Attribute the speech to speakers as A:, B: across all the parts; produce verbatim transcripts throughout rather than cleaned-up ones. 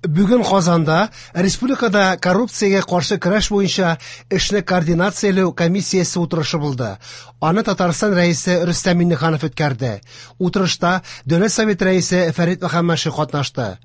A: Бүген Казанда республикада коррупциягә каршы көрәш буенча эшне координацияләү комиссиясе утырышы булды. Аны Татарстан Рәисе Рөстәм Миңнеханов үткәрде. Утырышта Дәүләт Советы Рәисе Фәрит Мөхәммәтшин катнашты.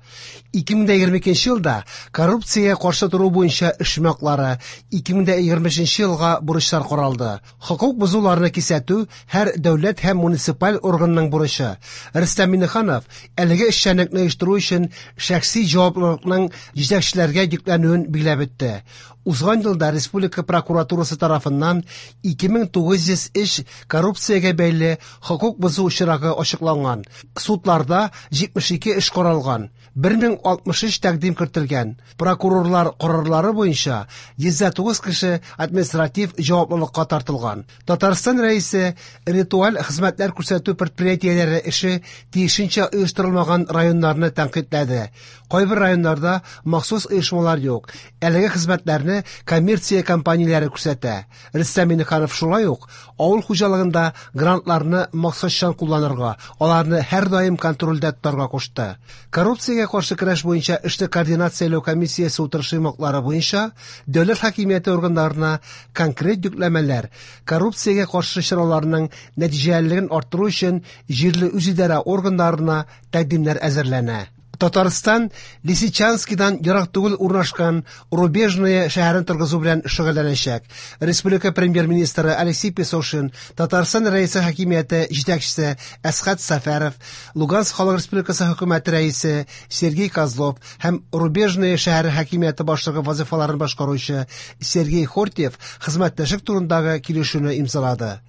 A: ике мең егерме икенче елда коррупциягә каршы тору буенча эш йомгаклары, ике мең егерме өченче елга бурычлар каралды. Хокук бозуларны кисәтү һәр дәүләт һәм муниципаль органның бурычы. Рөстәм Миңнеханов әлеге эшчәнлекне оештыру өчен шәхси җаваплылыкның җитәкчеләргә йөкләнүен билгеләп үтте. Узган елда республика прокуратурасы тарафыннан ике мең тугыз йөз эш коррупциягә бәйле хокук бозу очрагы ачыкланган. Судларда җитмеш ике эш каралган, бер мең алтмыш өч тәкъдим кертелгән. Прокурорлар карарлары буенча йөз дә тугыз кеше административ җаваплылыкка тартылган. Татарстан Рәисе ритуаль хезмәтләр күрсәтү предприятиеләре эше тиешенчә оештырылмаган районнарны тәнкыйтьләде. Кайбер районнарда махсус оешмалар юк. Әлеге хезмәтләрне коммерция компанияләре күрсәтә. Рөстәм Миңнеханов шулай ук авыл хуҗалыгында грантларны максатчан кулланырга, аларны һәрдаим контрольдә тотарга кушты. Коррупциягә каршы көрәш буенча эшне координацияләү комиссиясе утырышы йомгаклары буенча дәүләт хакимияте органнарына конкрет йөкләмәләр, коррупциягә каршы чараларның нәтиҗәлелеген арттыру өчен җирле үзидарә органнарына тәкъдимнәр әзерләнә. Татарстан Лисичанскидан ерак түгел урнашкан Рубежное шәһәрен торгызу белән шөгыльләнәчәк. Республика премьер-министры Алексей Песошин, Татарстан Рәисе хакимияте җитәкчесе Әсхәт Сәфәров, Луганск Халык Республикасы хөкүмәте рәисе Сергей Козлов һәм Рубежное шәһәре хакимияте башлыгы вазифаларын башкаручы Сергей Хортьев хезмәттәшлек турындагы килешүне имзалады.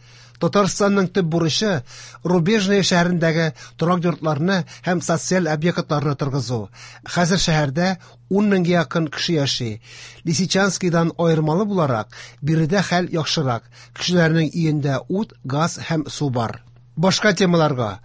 A: Татарстанның төп бурычы Рубежное шәһәрендәге торак йортларны һәм социаль объектларны торгызу. Хәзер шәһәрдә ун меңгә якын кеше яши. Лисичанскидан аермалы буларак, биредә хәл яхшырак. Кешеләрнең өендә ут, газ һәм су бар. Башка темаларга.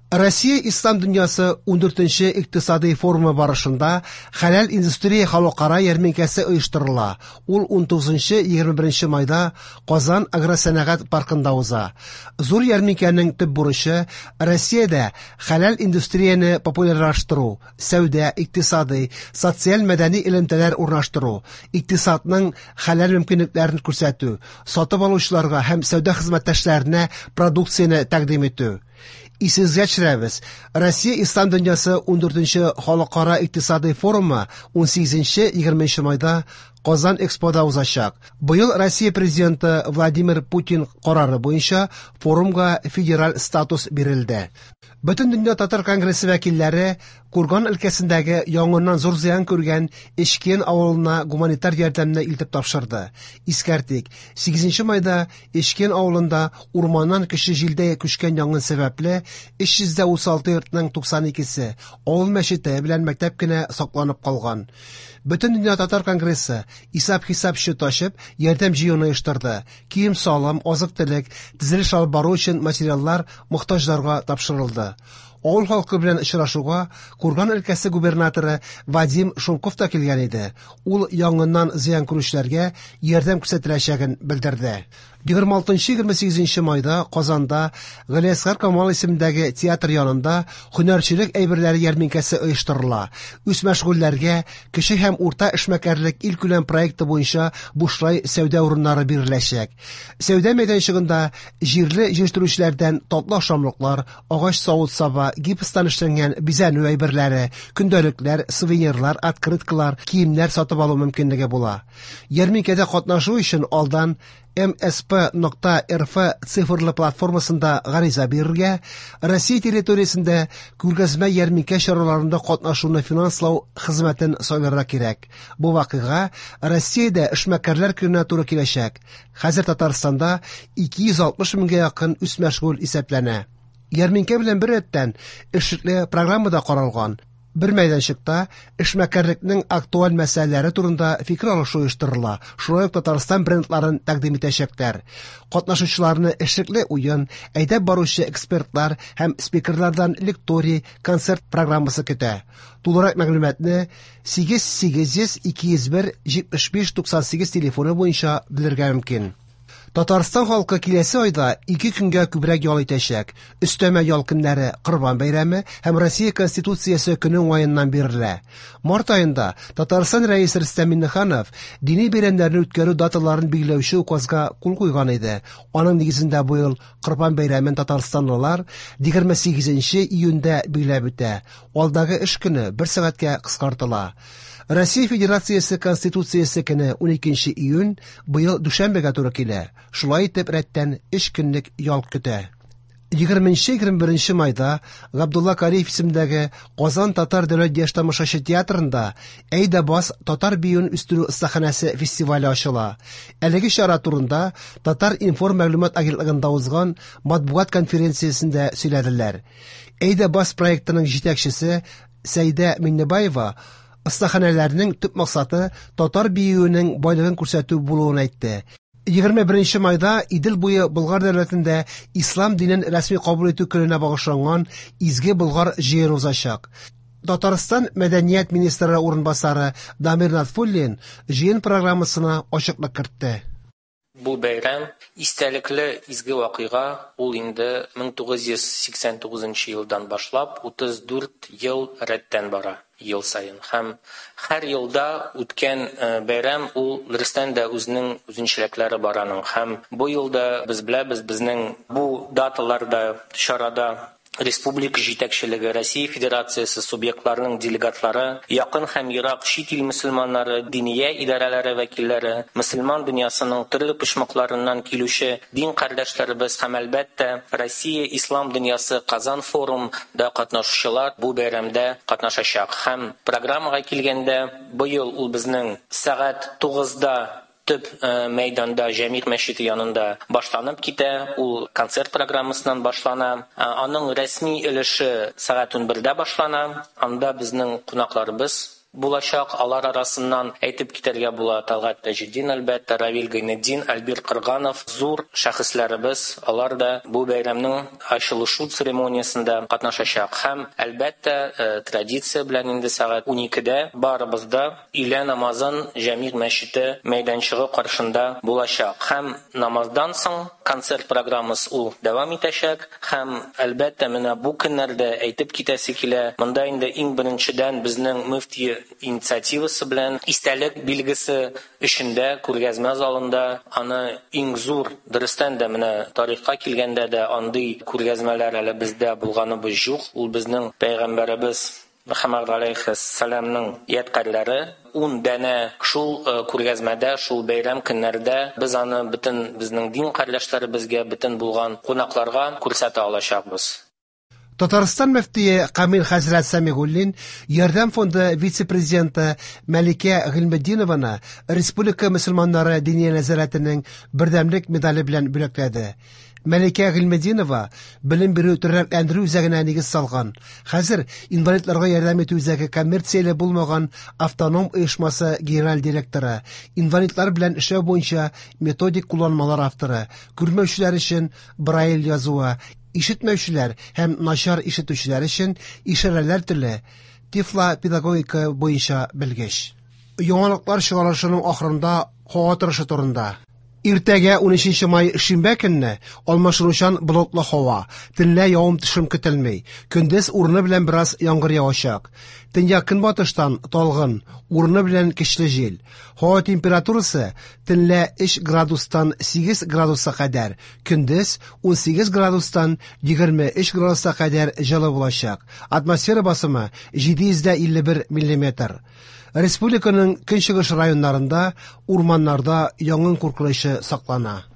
A: Россия Ислам дөньясы ундүртенче икътисади форумы барышында хәләл индустрия халыкара ярминкәсе оештырыла. Ул унтугызынчы егерме беренче майда Казан агросәнәгать паркында уза. Зур ярминкәнең төп бурычы Россиядә хәләл индустрияне популярлаштыру, сәүдә, икътисади, социаль мәдәни элемтәләр урнаштыру, икътисадның хәләл мөмкинлекләрен күрсәтү, сатып алучыларга һәм сәүдә хезмәттәшләренә продукцияне тәкъдим итү. Исегезгә төшерәбез, Россия Ислам дөньясы ундүртенче халыкара икътисади форумы унсигезенче егерменче майда Казан Экспода узачак. Быел Россия президенты Владимир Путин карары буенча форумга федераль статус бирелде. Бөтен дөнья татар конгрессы вәкилләре Курган өлкәсендәге янгыннан зур зыян күргән Эчкен авылына гуманитар ярдәмне илтеп тапшырды. Искәртик, сигезенче майда Эчкен авылында урманнан көчле җилдә күчкән янгын сәбәпле өч йөз дә утыз алты йортның туксан икесе авыл мәчете белән мәктәп кенә сакланып калган. Бөтен дөнья татар конгрессы исәп-хисап счеты ачып, ярдәм җыюны оештырды. Кием-салым, азык-төлек, төзелеш алып бару өчен материаллар мохтаҗларга тапшырылды. Авыл халкы белән очрашуга Курган өлкәсе губернаторы Вадим Шумков та килгән иде. Ул янгыннан зыян күрүчеләргә ярдәм күрсәтеләчәген белдерде. Егерме алтынчы егерме сигезенче майда Казанда Галиәсгар Камал исемендәге театр янында һөнәрчелек әйберләре ярминкәсе оештырыла. Үз мәшгульләргә кече һәм урта эшмәкәрлек илкүләм проекты буенча бушлай сәүдә урыннары биреләчәк. Сәүдә мәйданчыгында җирле җитештерүчеләрдән татлы ашамлыклар, агач савыт-саба, гипстан эшләнгән бизәнү әйберләре, көндәлекләр, сувенирлар, открыткалар, киемнәр сатып алу мөмкинлеге була. Ярминкәдә катнашу өчен алдан эм эс пэ нокта эр эф цифрлы платформасында гариза бирергә, Россия территориясендә күргәзмә ярминкә чараларында катнашуны финанслау хезмәтен сайларга кирәк. Бу вакыйга Россиядә эшмәкәрләр көненә туры киләчәк. Хәзер Татарстанда ике йөз алтмыш меңгә якын үзмәшгуль исәпләнә. Ярминкә белән бер рәттән эшлекле программа да каралган. Бер мәйданчыкта эшмәкәрлекнең актуаль мәсьәләләре турында фикер алышу оештырыла. Шулай ук Татарстан брендларын тәкъдим итәчәкләр. Катнашучыларны эшлекле уен, әйдәп баручы экспертлар һәм спикерлардан лекторий, концерт программасы көтә. Тулырак мәгълүматны сигез сигез йөз ике йөз бер җитмеш биш туксан сигез телефоны буенча белергә мөмкин. Татарстан халкы киләсе айда ике көнгә күбрәк ял итәчәк. Өстәмә ял көннәре Корбан бәйрәме һәм Россия Конституциясе көне уңаеннан бирелә. Март аенда Татарстан Рәисе Рөстәм Миңнеханов дини бәйрәмнәрне үткәрү даталарын билгеләүче указга кул куйган иде. Аның нигезендә быел Корбан бәйрәмен татарстанлылар егерме сигезенче июньдә билгеләп үтә. Алдагы эш көне бер сәгатькә кыскартыла. Россия Федерациясе Конституциясе көне уникенче июнь быел дүшәмбегә туры килә. Шулай итеп рәттән өч көнлек ял көтә. Егерменче егерме беренче майда Габдулла Кариев исемендәге Казан татар дәүләт яшь тамашачы театрында Әйдә бас татар биюен үстерү остаханәсе фестивале ачыла. Әлеге чара турында Татар информ мәгълүмат агентлыгында узган матбугат конференциясендә сөйләделәр. Әйдә бас проектының җитәкчесе Сәйдә Миннебаева остаханәләрнең төп максаты татар биюенең байлыгын күрсәтү булуын әйтте. Егерме беренче майда Идел буе Болгар дәүләтендә ислам динен рәсми кабул итү көненә багышланган Изге Болгар җыены узачак. Татарстан мәдәният министры урынбасары Дамир Натфуллин җыен программасына ачыклык кертте.
B: Бу бәйрәм истәлекле изге вакыйга, ул инде мең тугыз йөз сиксән тугызынчы елдан башлап утыз дүрт ел рәттән бара, ел саен. Һәм һәр елда үткән, э, бәйрәм ул дөрестән дә үзенең үзенчәлекләре бар аның. Һәм бу елда без беләбез, безнең бу даталарда, чарада республика җитәкчелеге, Россия Федерациясе субъектларының делегатлары, якын һәм ерак чит ил мөселманнары, диния идарәләре вәкилләре, мөселман дөньясының төрле почмакларыннан килүче дин кардәшләребез һәм әлбәттә Россия Ислам дөньясы Казан форумда катнашучылар бу бәйрәмдә катнашачак. Һәм программага килгәндә, быел ул безнең сәгать тугызда төп, э, мәйданда Җәмигъ мәчете янында башланып китә. Ул концерт программасыннан башлана. Э, аның рәсми өлеше сәгать унбердә башлана. Анда безнең кунакларыбыз булачак. Алар арасыннан әйтеп китәргә була Талгат Таҗетдин, әлбәттә, Равил Гайнетдин, Альбир Кырганов, зур шәхесләребез, алар да бу бәйрәмнең ачылышу церемониясендә катнашачак. Һәм әлбәттә, э, традиция белән инде сәгать уникедә барыбыз да өйлә намазын Җәмигъ мәчете мәйданчыгы каршында булачак. Һәм намаздан соң концерт программасы ул дәвам итәчәк. Һәм әлбәттә менә бу көннәрдә әйтеп китәсе килә, монда инде иң беренчедән безнең мөфти инициативасы белән истәлек билгесе эчендә күргәзмә залында аны иң зур, дөрестән дә менә тарихка килгәндә дә андый күргәзмәләр әле бездә булганыбыз юк. Ул безнең пәйгамбәребез Мөхәммәд алейхиссәламның ядкарьләре ун дәнә шул, э, күргәзмәдә, шул бәйрәм көннәрдә без аны бөтен безнең дин кардәшләребезгә, бөтен булган кунакларга күрсәтә алачакбыз.
A: Татарстан мөфтие Камил хәзрәт Сәмигуллин Ярдәм фонды вице-президенты Мәликә Гыйльметдинованы Республика мөселманнары диния нәзарәтенең бердәмлек медале белән бүләкләде. Мәликә Гыйльметдинова белем бирү тернәкләндерү үзәгенә нигез салган. Хәзер инвалидларга ярдәм итү үзәге коммерцияле булмаган автоном оешмасы генераль директоры, инвалидлар белән эшләү буенча методик кулланмалар авторы, күрмәүчеләр өчен Брайль язуы, ишетмәүчеләр һәм начар ишетүчеләр өчен ишарәләр теле, тифлопедагогика буенча белгеч. Яңалыклар чыгарылышының ахырында һава торышы турында. Иртәгә унөченче май шимбә көнне алмашынучан болытлы һава, төнлә явым-төшем көтелми. Көндез урыны белән бераз яңгыр явачак. Төньяк көнбатыштан талгын, урыны белән көчле җил. Һава температурасы төнлә өч градустан сигез градуска кадәр, көндез унсигез градустан егерме өч градуска кадәр җылы булачак. Атмосфера басымы җиде йөз дә илле бер миллиметр. Республиканың көнчыгыш районнарында урманнарда янгын куркынычы саклана.